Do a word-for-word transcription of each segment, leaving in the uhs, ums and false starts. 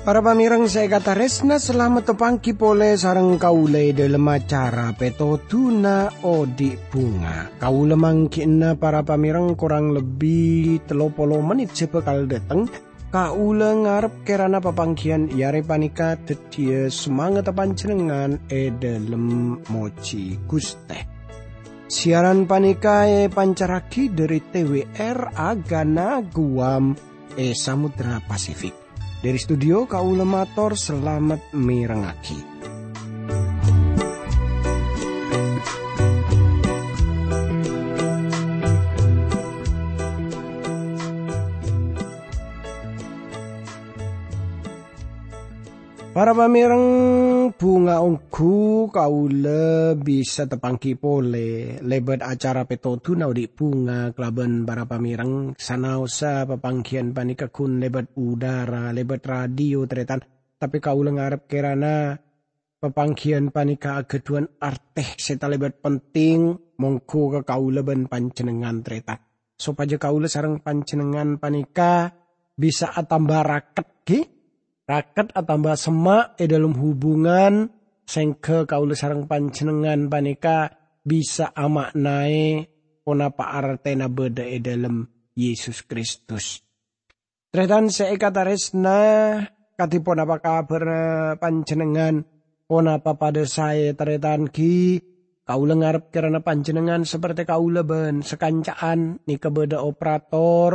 Para pamèrèng sè èkatarèsna, salamet tapangghi polè sareng kaulâ è dhâlem acara Pètodhuna Odi' Bhunga. Kaulâ mangghi'na para pamèrèng korang lebbi tello polo mennit sè bhâkal dhâteng. Kaulâ ngarep kèrana papangghiyân è arè panèka dhâddhiyâ samangatta panjhennengngan è dhâlem mojhi Ghustè. Siaran panèka èpancarraghi dhâri T W R Agana Guam è Samudra Pasifik. Dhâri studio kaulâ mator salamet mèrèngngaghi. Para pamèrèng, bhunga ongghu kaulâ bisa tapangghi polè lèbât acara Pètodhuna Odi' Bhunga kalabân para pamèrèng, sanaossa papangghiyân panèka ghun lèbât udara, lèbât radio, tarètan. Tapè kaulâ ngarep kèrana papangghiyân panèka aghâdhuwân artè sè talèbât penting mongghu ka kaulâ bân panjhennengngan, tarètan, sopajâ kaulâ sareng panjhennengngan panèka bisa atamba rakèt, ghi? Rakèt atamba semma' è dhâlem hubungan, sèngghâ kaulâ sareng panjhennengngan panèka bisa ama'naè ponapa artèna bâdâ è dhâlem Yesus Kristus. Tarètan sè èkatarèsna, kadhi ponapa kabhârra panjhennengngan? Ponapa padâ saè, tarètan, ghi? Kaulâ ngarep kèrana panjhennengngan saperte kaulâ bân sakanca'an nèka bâdâ operator,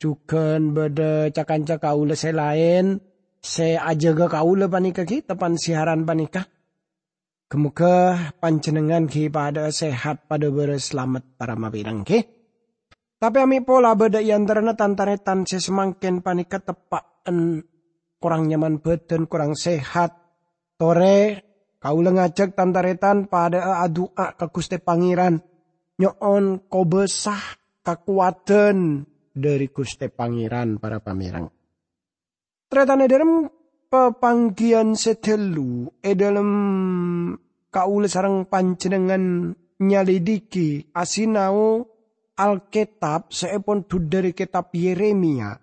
jhughân bâdâ ca-kanca kaulâ sè laèn sè ajâgâ kaulâ panèka, ghi, teppa'na siaran panèka. Ghâ-mogâ panjhennengngan ghi' padâ'â sehat, padâ bârâs salamet para mapèrèng, ghi. Tapè amè' pola bâdâ è antarana tan-tarètan sè samangkèn panèka teppa'en korang nyaman bhâdhân, korang sehat. Torè, kaulâ ngajhâk tan-tarètan padâ'â adu'a ka Ghustè Pangèran, nyo'on kobâsa, kakowadhân dhâri Ghustè Pangèran, para pamèrèng. Tarètan è dhâlem papangghiyân sè ghâllu, è dhâlem kaulâ sareng panjhennengngan nyalèdhighi, asinao Alkètab sè èpon dhudhâri kètab Yeremia.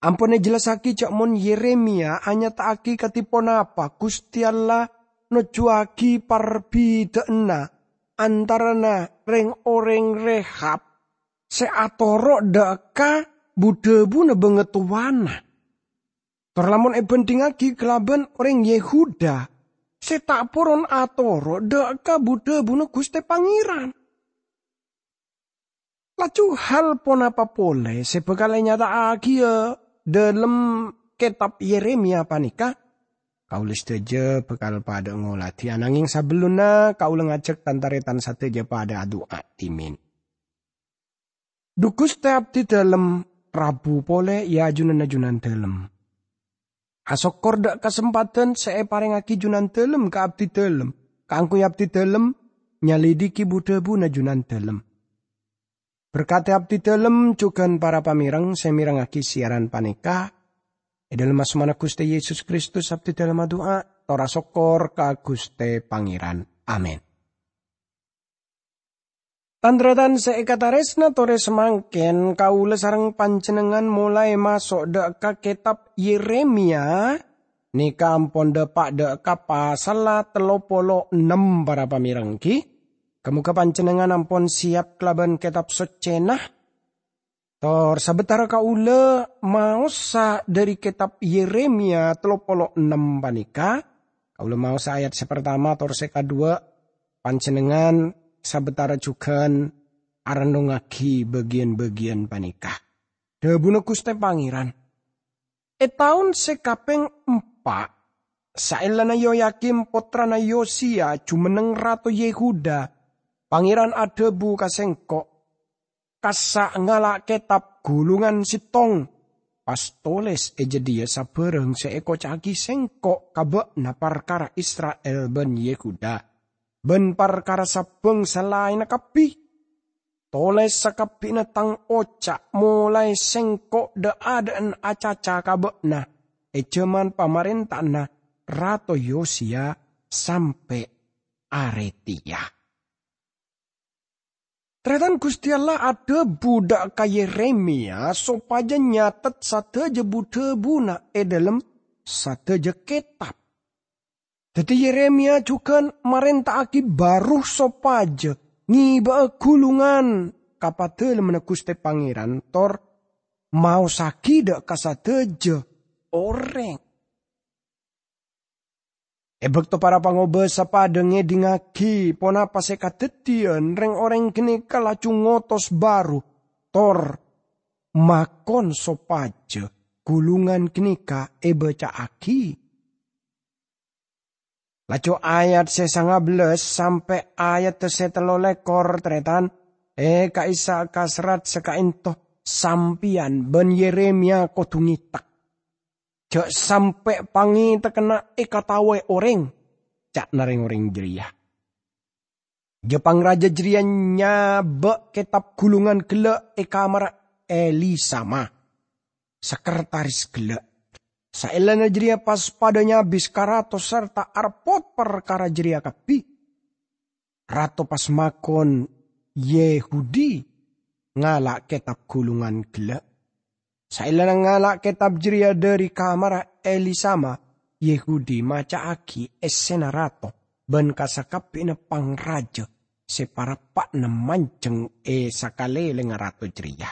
Ampon èjellassaghi jhâ' mon Yeremia anyata'aghi kadhi ponapa Ghustè Allah nojjhuwâghi parbidhâ'ânna antarana rèng-orèng Rehab sè atoro' dâ' ka bu-dhâbuna bângatowana. Tor lamon èbhândhingngaghi kalabân orèng Yehuda sè ta' poron atoro' dâ' ka bu-dhâbuna Ghustè Pangèran. Laju hal ponapa polè sè bhâkal ènyata'aghiyâ dhâlem kètab Yeremia panèka? Kaulâ sadhâjâ bhâkal padâ ngoladhi, ananghing sabellunna kaulâ ngajhâk tan-tarètan sadhâjâ padâ adu'a dhimèn. Dhu Ghustè abdhi dhâlem, rabu polè è ajunanna Junandhâlem. Asokkor dâ' kasempadhân sè èparèngngaghi Junandhâlem ka abdhi dhâlem, kaangghuy abdhi dhâlem nyalèdhighi bu-dhâbuna Junandhâlem. Berkadhi abdhi dhâlem jhughân para pamèrèng sè mèrèngngaghi siaran panèka. È dhâlem asmana Ghustè Yesus Kristus abdhi dhâlem adu'a, tor asokkor ka Ghustè Pangèran. Amin. Tan-tarètan sè èkatarèsna, torè samangkèn kaulâ sareng panjhennengngan molaè maso' dâ' ka kètab Yeremia, nèka ampon dâpa' dâ' ka pasalla tello polo ennem, para pamèrèng, ghi. Ghâ-mogâ panjhennengngan ampon sèyap kalabân Kètab Soccèna. Tor sabâtara kaulâ maosa dhâri kètab Yeremia tello polo ennem panèka, kaulâ maosa ayat sè partama tor sè kaduwâ', panjhennengngan sabâtara jhughân arennongngaghi bâgiyân-bâgiyân panèka. Dhâbuna Ghustè Pangèran, "È taon sè kapèng empa', saellana Yoyakim pottrana Yosiya jumenneng rato Yehuda, Pangèran adhâbu ka sèngko', 'Kassa' ngala' kètab ghulungan sèttong, pas tolès è jâdiyâ sabârâng sè èkoca'aghi sèngko' ka bâ'na parkara Isra'il bân Yehuda, bân parkara sa-bhângsa laènna kabbhi. Tolès sakabbhiyânna tang oca' molaè sèngko' dâ'-adâ'ân acaca ka bâ'na è jhâman pamarènta'anna Rato Yosiya sampè' arè tèya. Tarètan, Ghustè Allah adhâbu dâ' ka Yeremiya sopajâ nyatet sadhâjâ bu-dhâbuna è dhâlem sadhâjâ kètab. Dhâddhi, Yeremiya jhughân marènta'aghi Barukh sopajâ ngèbâ'â ghulungan ka Padalemmanna Ghustè Pangèran tor maossaghi dâ' ka sadhâjâ orèng. È bâkto para pangobâsa padâ ngèdingngaghi ponapa sè kadhâddhiyân, rèng-orèng ghânèka laju ngotos Barukh tor makon sopajâ ghulungan ghânèka èbâca'aghi. Laju ayat sè sangabellâs sampè' ayat sè tello lèkor, tarètan, è ka'issa' ka serrat sè ka'ènto, sampèyan bân Yeremiya kodhu ngètèk. "Jhâ' sampè' pangètèkkanna èkataowè orèng," ca'na rèng-orèng jârèya. Jâ pangraja jârèya nyabâ' kètab ghulungan ghellâ' è kamarra Elisama, sakretaris ghellâ'. Saellana jârèya pas padâ nyabis ka rato sarta arepot parkara jârèya kabbhi. Rato pas makon Yehudi ngala' kètab ghulungan ghellâ'. Saellana ngala' kètab jârèya dhâri kamarra Elisama, Yehudi maca'aghi essèna rato bân ka sakabbhiyanna pangraja sè parappa'na manjheng è sakalèlèngnga rato jârèya.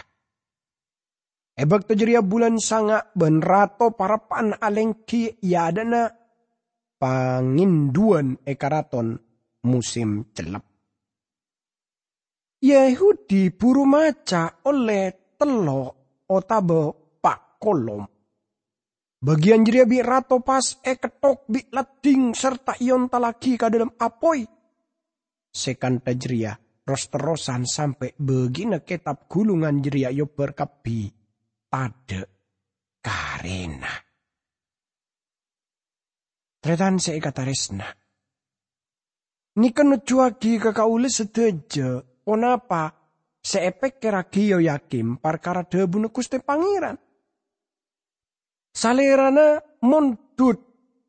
È bâkto jârèya bulân sanga' bân rato parappa'na alèngghi è adâ'na pangèndhuwân è karaton mosèm cellep. Yahudi buru maca ollè tello' otabâ pa' kolom. Bâgiyân jârèya bi' rato pas èkettok bi' laddhing sarta èontallaghi ka dhâlem apoy. Sè kantha jârèya ros-terrosan sampè' bâgiyânna kètab ghulungan jârèya èobbhâr kabbhi tadâ' karèna. Tarètan sè èkatarèsna, nèka nojjhuwâghi ka kaulâ sadhâjâ ponapa sè èpèkkèrraghi Yoyakim parkara dhâbuna Ghustè Pangèran. Salèrana mondhut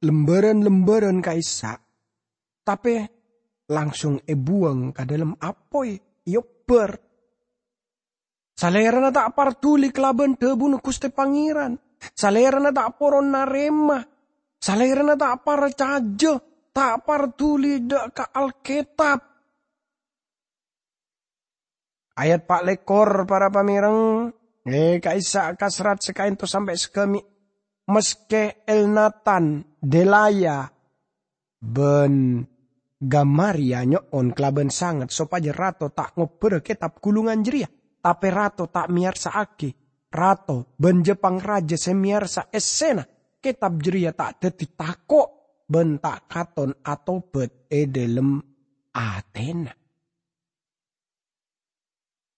lembârân-lembârân ka'issa', tapè langsung èbuwâng ka dhâlem apoy, èobbhâr. Salèrana ta' parduli kalabân dhâbuna Ghustè Pangèran. Salèrana ta' poron narèma. Salèrana ta' parcajâ, ta' parduli dâ' ka Alkètab. Ayat pa' lèkor, para pamèreng, è ka'issa' ka serrat sè ka'ènto sampè' sè ghâmi', maskè Elnatan, Delaya, bân Gamariya nyo'on kalabân sanget sopajâ rato ta' ngobbhârâ kètab ghulungan jârèya, tapè rato ta' mèyarsa'aghi. Rato bân jâ pangraja sè mèyarsa essèna kètab jârèya ta' dhâddhi tako' bân ta' katon atobât è dhâlem atèna.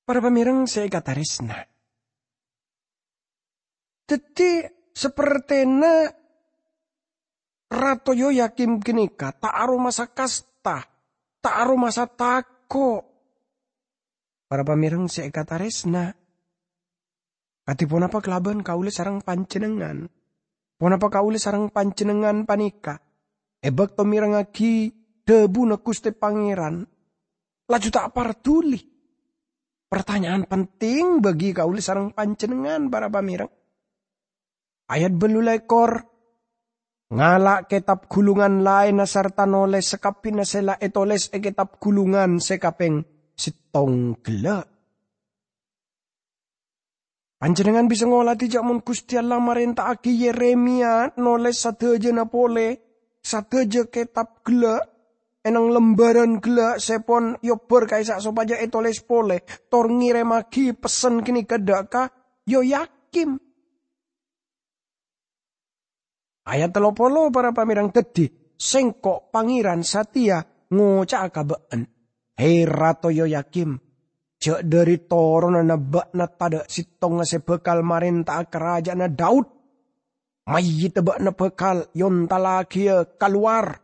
Para pamèreng sè èkatarèsna, dhâddhi, sapertèna Rato Yoyakim ghânèka ta' aromasa kasta, ta' aromasa tako'. Para pamèreng sè èkatarèsna, kadhi ponapa kalabân kaulâ sareng panjhennengngan? Ponapa kaulâ sareng panjhennengngan panèka, è bâkto mèrengngaghi dhâbuna Ghustè Pangèran, laju ta' parduli? Partanya'an penting bagi kaulâ sareng panjhennengngan, para pamèreng. Ayat bâllu lèkor, ngala' kètab ghulungan laènna sarta nolès sakabbhiyânna sè la ètolès è kètab ghulungan sè kapèng sèttong ghellâ'. Panjhennengngan bisa ngolatè jâ' mon Ghustè Allah marènta'aghi Yeremiya nolès sadhâjâna polè, sadhâjâ kètab ghellâ', ènang lembârân ghellâ' sè pon èobbhâr ka'issa' sopajâ ètolès polè, tor ngèrèmmaghi pessen ghânèka dâ' ka Yoyakim. Ayat tello polo, para pamèreng, dhâddhi, Sèngko', Pangèran satèya, ngoca'a ka bâ'na, Hè, Rato Yoyakim, jâ' dhâri toronanna bâ'na tadâ' sèttonga sè bhâkal marènta'a karaja'anna Daud. Mayyidda bâ'na bhâkal èontallaghiyâ kalowar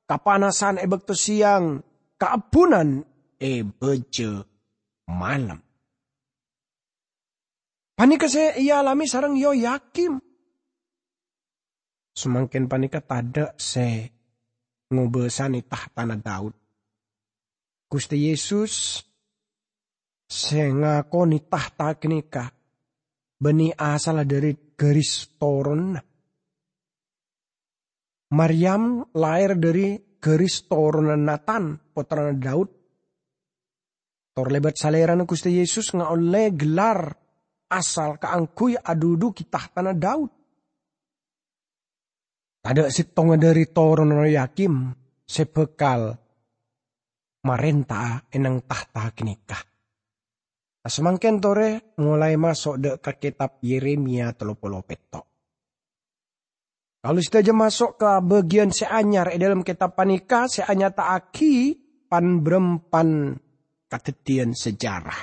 ka panasan è bâkto sèyang, kaabbhunan è bâjâ malem. Panèka sè èalamè sareng Yoyakim. samangkèn panèka tadhâ' sè ngobâsane tahtana Daud. Guste Yesus sè ngakone tahta ganeka banne asalla dhari garis toronanna. Maryam laèr dhari garis toronanna Natan, pottrana Daud. Tor lèbât Salèrana Guste Yesus ngaolle gellar asal kaangguy adhudhugi tahtana Daud. Tadhâ' settonga dhari toronanna Yoyakim sè bhâkal marènta'a è neng tahta ganeka. Samangkèn torè molaè maso' dhâ' ka kètab Yeremia tello polo petto'. Kaulâ sadhâjâ maso' ka bâgiyân sè anyar è dhâlem kètab panèka sè anyata'aghi pan-bârâmpan kadhâddhiyân sejarah.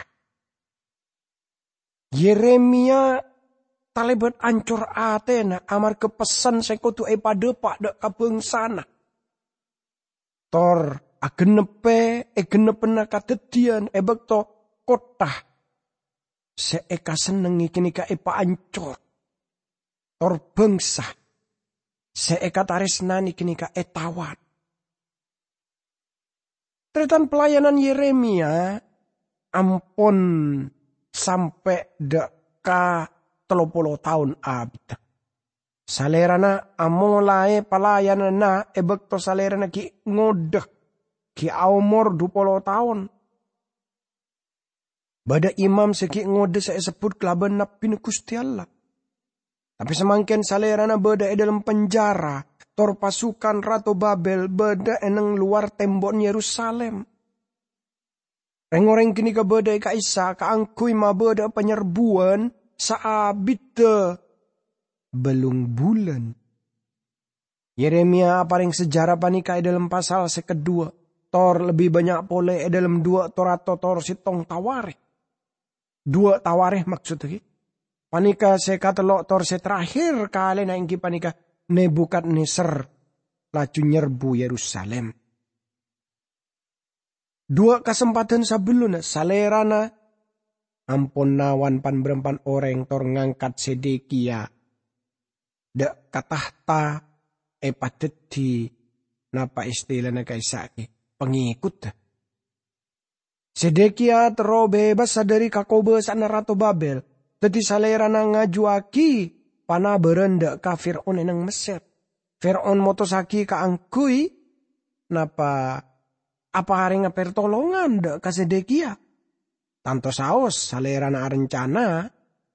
Yeremia talèbât ancor atèna amarga pessen sè kodu èpadhâpa' dhâ' ka bhângsana. Tor agennebbhâ è gennebbhânna kadhâddhiyân è bâkto kottha sè èkasennengngè ganeka èpaancor, tor bhângsa sè èkatarèsnanè ganeka ètawat. Tarètan pelayanan Yeremia ampon sampè' dhâ' ka tello polo taon abiddhâ. Salèrana amolaè pelayananna è bâkto salèrana ghi' ngodâ, ghi' aomor dhu polo taon. Bâdâ imam sè ghi' ngodâ sè èsebbhut kalabân nabbhina Guste Allah. Tape samangken salerana badha e dhalem penjara, tor pasukan Rato Babel badha e neng lowar tembo'na Yerusalim. Reng-oreng ganeka badha e ka'issa' kaangguy mabadha'a panyerbuwan saabiddhâ bellung bulân. Yeremia apareng sejarah paneka e dhalem pasal se kedua, tor lebbi bannya' pole e dhalem dua Torat tor settong Tawarikh. Dua Tawarikh, maksodda, paneka se katello' tor se terakhir kalena enggi paneka Nebukadnezar laju nyerbu Yerusalim. Dua kasempadhân sabellunna salerana ampon nawan pan-barampan oreng tor ngangkat Zedekia dha' ka tahta epadhadhi, napa istilana ka'issa' ghi, pangekudda. Zedekia terro bebas dhari kakobasa'anna Rato Babel, daddi salerana ngajuwagi panabaran dha' ka Fir'aun e neng Messer. Fir'aun motossagi kaangguy, napa, aparenga pertolongan dha' ka Zedekia. Tanto saos salerana arencana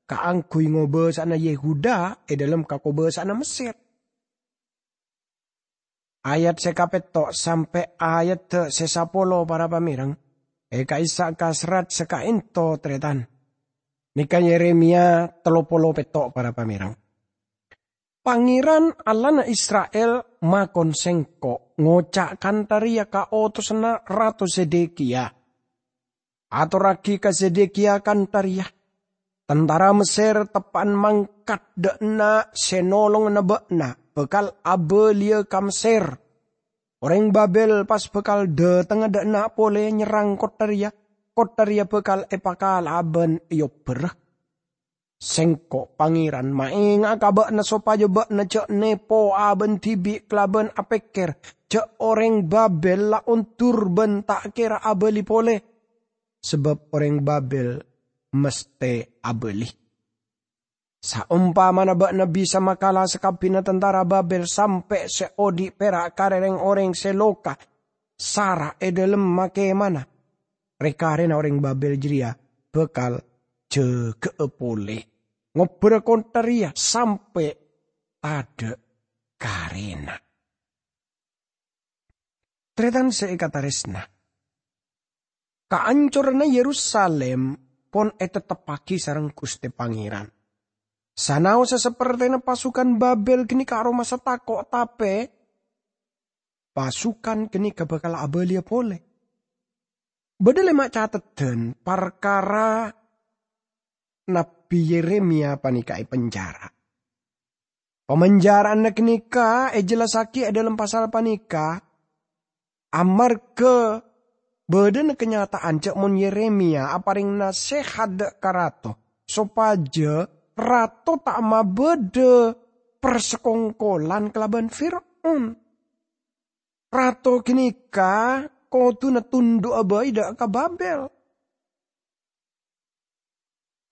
kaangguy ngobasa'ana Yehuda e dhalem kakobasa'anna Messer. Ayat se kapetto' sampe' ayat se sapolo para pamereng, e ka'issa' ka serrat se kaento, taretan. Neka Yeremia tello polo petto', para pamereng. Pangeran, Allahna Isra'il, makon sengko' ngoca' kantha reya ka otosanna Rato Zedekia, "Atorragi ka Zedekia kantha reya, 'Tantara Messer teppa'an mangkat dha' enna' se nolongana ba'na bakal abaliya ka Messer. Oreng Babel pas bakal dhatengnga dha' enna' pole nyerrang kottha reya. Kottha reya bakal epakala'a ban eobbhârâ. Sengko', Pangeran, maenga'a ka ba'na sopaja ba'na ja' nepo abâ'na dibi' kalaban apekker ja' oreng Babel la ondur ban ta' kera abali pole, sabab oreng Babel masthe abali. Saompamana ba'na bisa makala sakabbina tantara Babel sampe' se odhi' pera' karè reng-oreng se loka sara' e dhalem makemana, re-karena oreng Babel jareya bakal jaga'a pole, ngobbhârâ kottha reya sampe' tadha' karena.'" Taretan se ekataresna, kaancoranna Yerusalim pon etetteppagi sareng Guste Pangeran. Sanaossa sapertena pasukan Babel ganeka aromasa tako', tape pasukan ganeka bakal abaliya pole. Badha lema' cateddhân parkara Nabbi Yeremia paneka epenjara. Pamanjaraanna ganeka ejellassagi e dhalem pasal paneka, amarga badhana kanyata'an ja' mon Yeremia apareng nasehat dha' ka rato, sopaja rato ta' mabadha parsakongkolan kalabân Fir'aun. Rato ghânèka kodhuna tundhu'â bhâi dhâ' ka Babel.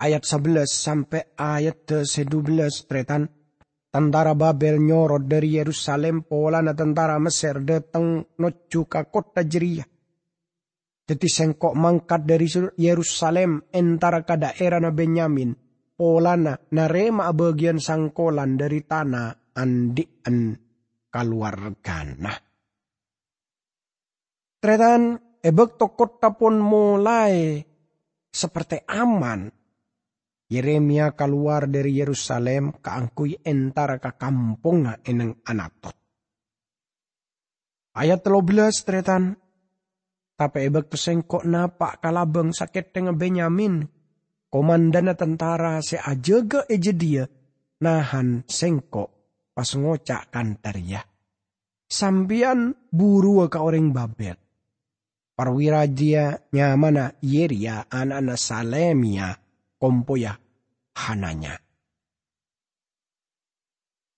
Ayat sabellâs sampè' ayat sè dubellâs, tarètan. Tantara Babel nyorot dhâri Yerusalem polana tantara Messer dhâteng nojjhu ka kottha jârèya. Dhâddhi sèngko' mangkat dhâri Sur-, Yerusalem entara ka dhaèrana Benyamin, polana narèma'a bâgiyân sangkolan dhâri tana andhi'en kalowarghâna. Tarètan, è bâkto kottha pon molaè saperte aman, Yeremia kalowar dhâri Yerusalem kaangghuy entara ka kampongnga è neng Anatot. Ayat tello bellâs, tarètan. Tapè è bâkto sèngko' napa' ka labâng sakèthèngnga Benyamin, komandhânna tantara sè ajâgâ è jâdiyâ nahan sèngko' pas ngoca' kantha rèya, "Sampèyan buruwâ ka orèng Babel." Parwira jârèya nyamana Yeria, ana'na Salemia, kompoyya Hananya.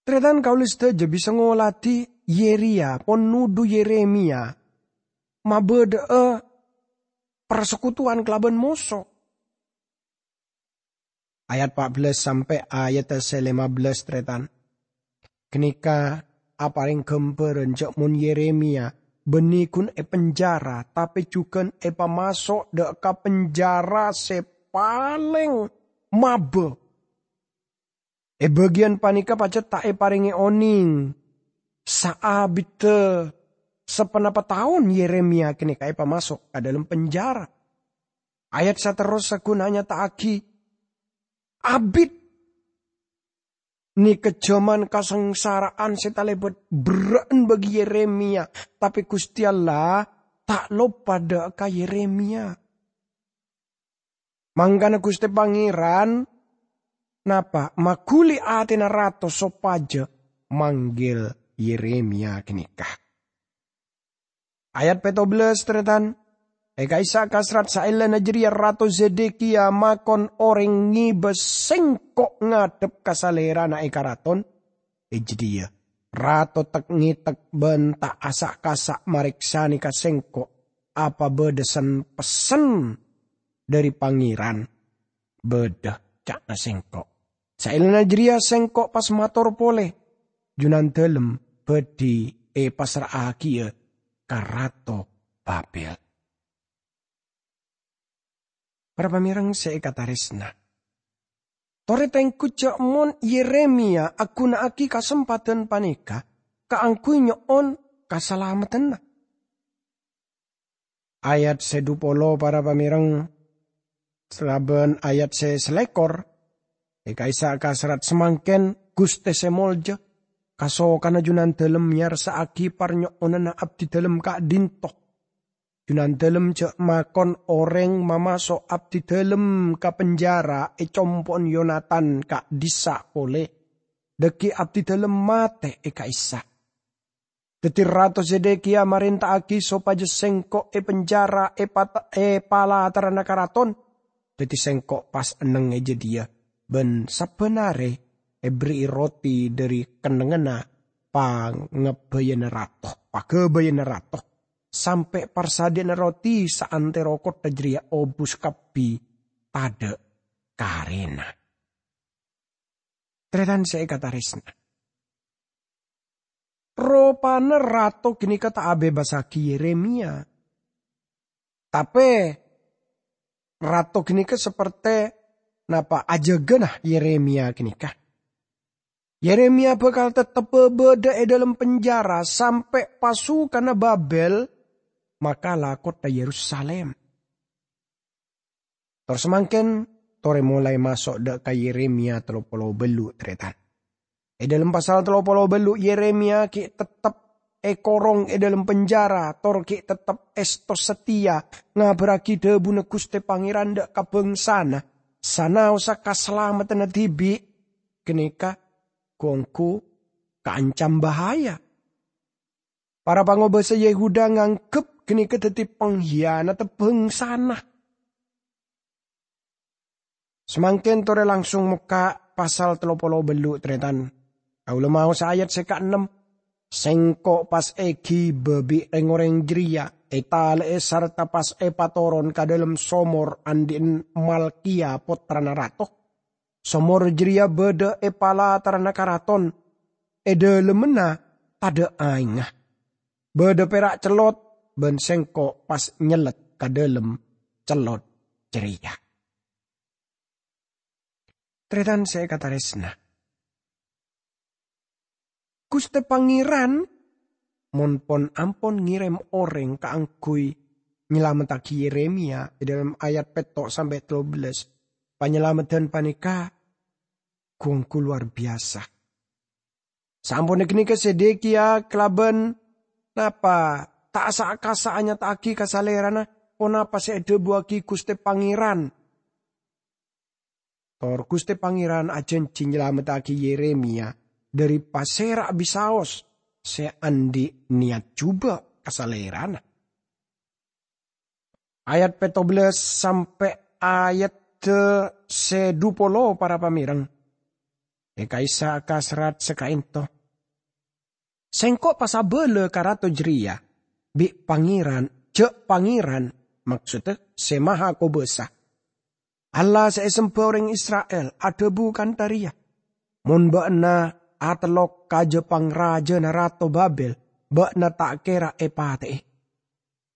Tarètan, kaulâ sadhâjâ bisa ngoladhi Yeria pon nodhu Yeremia mabâdâ'â parsekutuwan kalabân moso. Ayat pa' bellâs sampè' ayat sè lèma bellâs, tarètan. Ghânèka aparèng ghâmbhârân jâ' mon Yeremia bânnè ghun èpenjara, tapè jhughân èpamaso' dhâ' ka penjara sè palèng mabâ. È bâgiyân panèka pajhât ta' èparèngè onèng saabiddhâ saponapa taon Yeremia ghânèka èpamaso' ka dâlem penjara. Ayat saterrossa ghun anyata'aghi abit nèka jhâman kasangsara'an sè talèbât berrâ'ân bagi Yeremia, tapè Ghustè Allah ta' loppa dhâ' ka Yeremia. Mangkana Ghustè Pangèran napa? Maghuli atèna rato sopajâ manggil Yeremia ghânèka. Ayat pètto bellâs, tarètan. È ka'issa' kasrat saellana jârèya Rato Zedekia makon orèng ngèbâ sèngko' ngadhep ka salèrana è karaton. È jâdiyâ, rato tek-ngètek bân ta' asa'-kasa' marèksanè ka sèngko' apa bâdâ sen-pessen dhâri Pangèran. "Bâdâ," ca'na sèngko'. "Saellana jârèya sèngko' pas mator polè, Junandâlem bhâdhi èpassra'aghiyâ ka Rato Babel." Para pamèreng sè èkatarèsna, torè tèngghu jâ' mon Yeremia aghuna'aghi kasempadhân panèka kaangghuy nyo'on kasalameddhânna. Ayat sè dhu polo, para pamèreng, kalabân ayat sè salèkor, è ka'issa' kasrat samangkèn, Ghustè sè molja, kasokanna Junandâlem mèyarsa'aghi parnyo'onanna abdidâlem ka'dhinto. Junandâlem jâ' makon orèng mamaso' abdidâlem ka penjara è compo'na Yonatan ka'dhissa' polè. Dhâggi' abdidâlem matè è ka'issa'. Dhâddhi Rato Zedekia marènta'aghi sopajâ sèngko' èpenjara è pat-, è palatarranna karaton. Dhâddhi sèngko' pas enneng è jâdiyâ, bân sabbhân arè èberri'i roti dhâri kennengnganna pangabbhâyanna rato, paghâbâyanna rato, sampè' parsadhiyâna roti saantèro kottha jârèya obus kabbhi tadâ' karèna. Tarètan sè èkatarèsna, ropana rato ghânèka ta' abèbassaghi Yeremia. Tapè, rato ghânèka sapertè napa ajâgâna Yeremia ghânèka. Yeremia bhâkal tettep bâdâ è dâlem penjara sampè' pasukanna Babel makala kottha Yerusalem. Tor samangkèn, torè molaè maso' dhâ' ka Yeremia tello polo bâllu', tarètan. È dâlem pasal tello polo bâllu', Yeremia ghi' tettep èkorong è dâlem penjara, tor ghi' tettep èsto satèya ngabârraghi dhâbuna Ghustè Pangèran dhâ' ka bângsana, sanaossa kasalameddhânna dhibi' ghânèka ghu-ongghu kaancam bahaya. Para pangobâsa Yehuda nganggep ghânèka dhâddhi panghiyanadhâ bângsana. Samangkèn torè langsung mokka' pasal tello polo bâllu', tarètan. Kaulâ maos ayat sè kaennem, "Sengko' pas èghibâ bi' rèng-orèng jârèya, ètalè'è sarta pas èpatoron ka dâlem somor andi'na Malkiya pottrana rato. Somor jârèya bâdâ è palatarranna karaton, è dâlemmanna tadâ' aèngnga. Bâdâ pèra' cellot, bân sengko' pas nyellet ka dâlem cellot jârèya." Tarètan sè èkatarèsna, Ghustè Pangèran mon pon-ampon ngèrèm orèng kaangghuy nyalameddhâghi Yeremia è dâlem ayat pètto' sampè' tello bellâs, panyalameddhân panèka gu-ongghu lowar biyasa. Saamponna ghânèka Zedekiya kalabân napa ta' sa'-kasa' anyata'aghi ka salèrana ponapa sè èdhâbuwâghi Ghustè Pangèran. Tor Ghustè Pangèran ajhânjhi nyalameddhâghi Yeremia dâri pasèra bisaos sè andi' niyat jhubâ' ka salèrana. Ayat pètto bellâs sampè' ayat sè dhu polo, para pamèreng. È ka'issa' ka serrat sè ka'ènto. Sengko' pas abâlâ ka rato jârèya, bi' Pangèran, jhâ' Pangèran, maksoddhâ Sè Mahakobâsa, Allah sè èsemba orèng Isra'il, adhâbu kantha rèya, "Mon bâ'na atellok ka jâ-pangrajâna Rato Babel, bâ'na ta' kèra èpatè'è.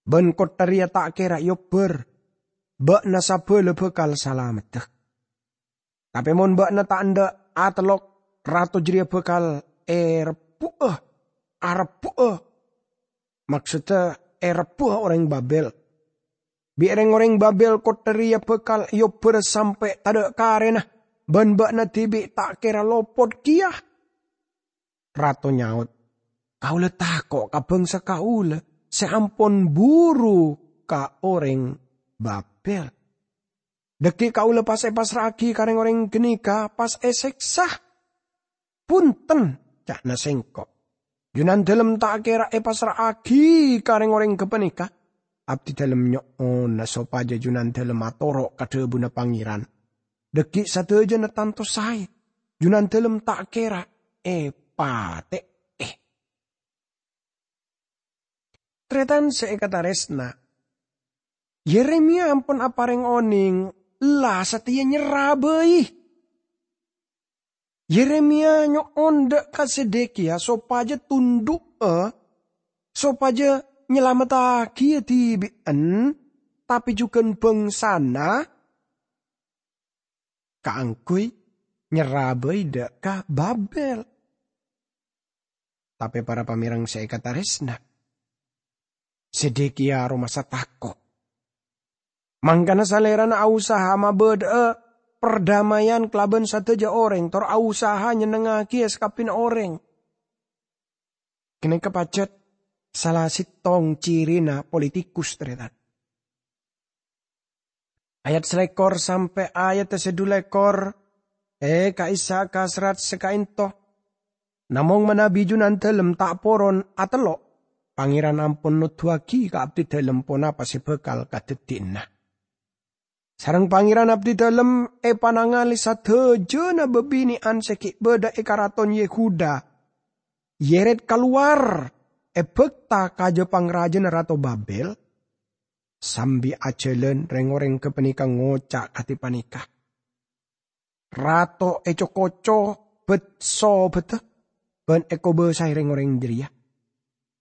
Bân kottha rèya ta' kèra èobbhâr. Bâ'na sabâlâ bhâkal salameddhâ. Tapè mon bâ'na ta' endâ' atellok, rato jârèya bhâkal èrebbu'â, arebbu'â, maksoddhâ èrebbu'â orèng Babel. Bi' rèng-orèng Babel kottha rèya bhâkal èobbhâr sampè' tadâ' karèna, bân bâ'na dhibi' ta' kèra lopot kèya." Rato nyaot, "Kaulâ tako' ka bhângsa kaulâ sè ampon buru ka orèng Babel. Dhâggi' kaulâ pas èpassra'aghi ka rèng-orèng ghânèka pas èsèksa." "Bhunten," ca'na sengko', "Junandalem ta' kèra èpassra'aghi ka rèng-orèng ghâpanèka. Abdidalem nyo'ona sopajâ Junandalem atoro' ka dhâbuna Pangèran. Dhâggi' sadhâjâna tanto saè. Junandalem ta' kèra èpatè'è." Tarètan sè èkatarèsna, Yeremia ampon aparèng onèng la satèya nyerrabây. Yeremia nyo'on dâ' ka Zedekiya sopajâ tundhu'â, sopajâ nyalameddhâghi dhibi'en, tapè jhughân bhângsana, kaangghuy nyerrabây dâ' ka Babel. Tapè para pamèreng sè èkatarèsna, Zedekiya aromasa tako'. Mangkana salèrana aosaha mabâdâ'â perdamaian kalabân sadhâjâ orèng, tor aosaha nyennengngaghi sakabbhiyânna orèng. Ghânèka pajhât sala sèttong cirina politikus, tarètan. Ayat salèkor sampè' ayat sè dhu lèkor, è ka'issa' ka serrat sè ka'ènto. Namong manabi Junandalem ta' poron atello', Pangèran ampon noddhuwâghi ka abdidalem ponapa sè bhâkal kadhâddhiyânna. Sareng Pangèran abdidalem èpanangalè sadhâjâna bhâbhinè'an sè ghi' bâdâ è karaton Yehuda, yèrèt kalowar èbhâkta ka jâ pangrajâna Rato Babel. Sambi ajhâlân, rèng-orèng ghâpanèka ngoca' kadhi panèka, "Rato èco-koco bât-sobâddhâ bân èkobâsaè rèng-orèng jârèya.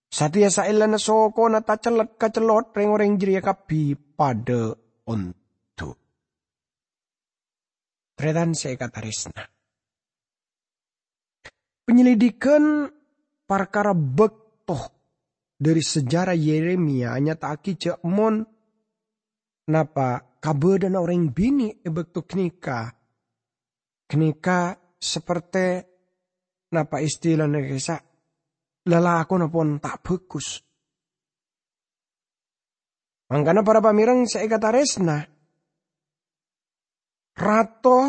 Satèya saellana sokona tacellot-kacellot rèng-orèng jârèya kabbhi padâ ondu'." Tarètan sè èkatarèsna, panyelidikan parkara bâkto dâri sejarah Yeremia nyata'aghi jâ' mon napa kabâdâ'ânna orèng binè' è bâkto ghânèka, ghânèka saperte napa istilana ka'issa', lalakonna pon ta' bhâghus. Mangkana para pamèreng sè èkatarèsna, Rato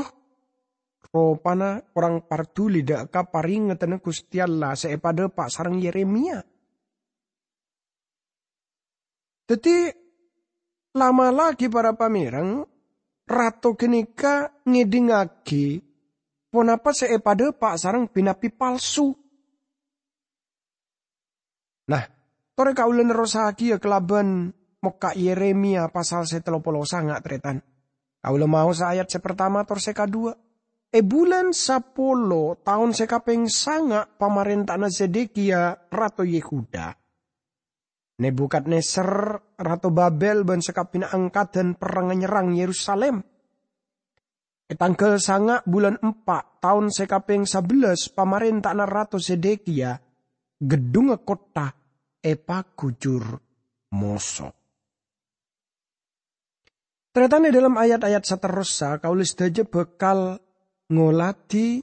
ropana korang parduli dâ' ka parèngeddhânna Ghustè Allah sè èpadâpa' sareng Yeremia. Dhâddhi, la'-mala' ghi' para pamèreng, Rato ghânèka ngèdingngaghi ponapa sè èpadhâpa' sareng bi-nabbi palsu. Nah, torè kaulâ nerrossaghiyâ kalabân mokka' Yeremia pasal sè tello polo sanga', tarètan. Kaulâ maosa ayat sè partama tor sè kaduwâ'. È bulân sapolo, taon sè kapèng sanga' pamarènta'anna Zedekia, rato Yehuda, Nebukadnezar, rato Babel, bân sakabbhiyânna angkaddhân perrang nyerrang Yerusalem. È tangghâl sanga' bulân empa', taon sè kapèng sabellâs pamarènta'anna Rato Zedekia, ghedhungnga kottha èpaghujur moso. Tarètan, è dhâlem ayat-ayat saterrossa, kaulâ sadhâjâ bhâkal ngolatè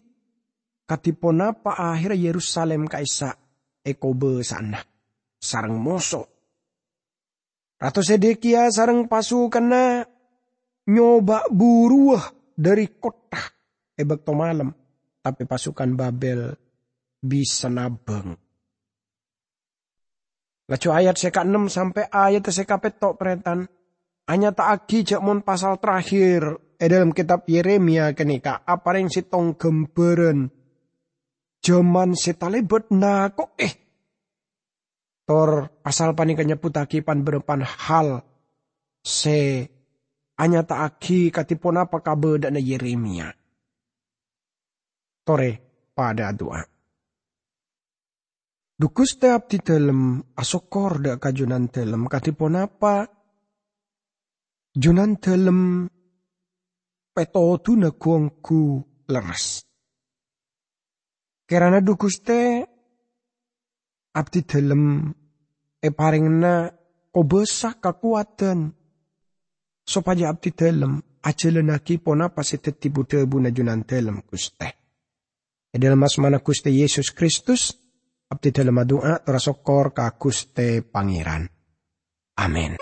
kadhi ponapa ahèrra Yerusalem ka'issa' èkobâsa'ana sareng moso. Rato Zedekia sareng pasukanna nyoba buruwâ dhâri kottha è bâkto malem, tapè pasukan Babel bisa nabâng. Laju ayat sè kaennem sampè' ayat sè kapètto', tarètan, anyata'aghi jâ' mon pasal terakhir è dhâlem kètab Yeremia ghânèka aparèng sèttong ghâmbhârân jhâman sè talèbât nako'è. Tor pasal panèka nyebbhuttaghi pan-bârâmpan hal sè anyata'aghi kadhi ponapa kabâdâ'ânna Yeremia. Torè padâ adu'a. Dhu Ghustè, abdhi dhâlem asokkor dhâ' ka Jhunandhâlem kadhi ponapa Jhunandhâlem pètodhuna ghu-ongghu lerres. Kèrana, dhu Ghustè, abdhi dhâlem èparèngana kobâsa kakowadhân, sopajâ abdhi dhâlem ajhâlânnaghi ponapa sè dhâddhi bu-dhâbuna Jhunandhâlem, Ghustè. È dhâlem asmana Ghustè Yesus Kristus, abdhi dhâlem adu'a tor asokkor ka Ghustè Pangèran. Amin.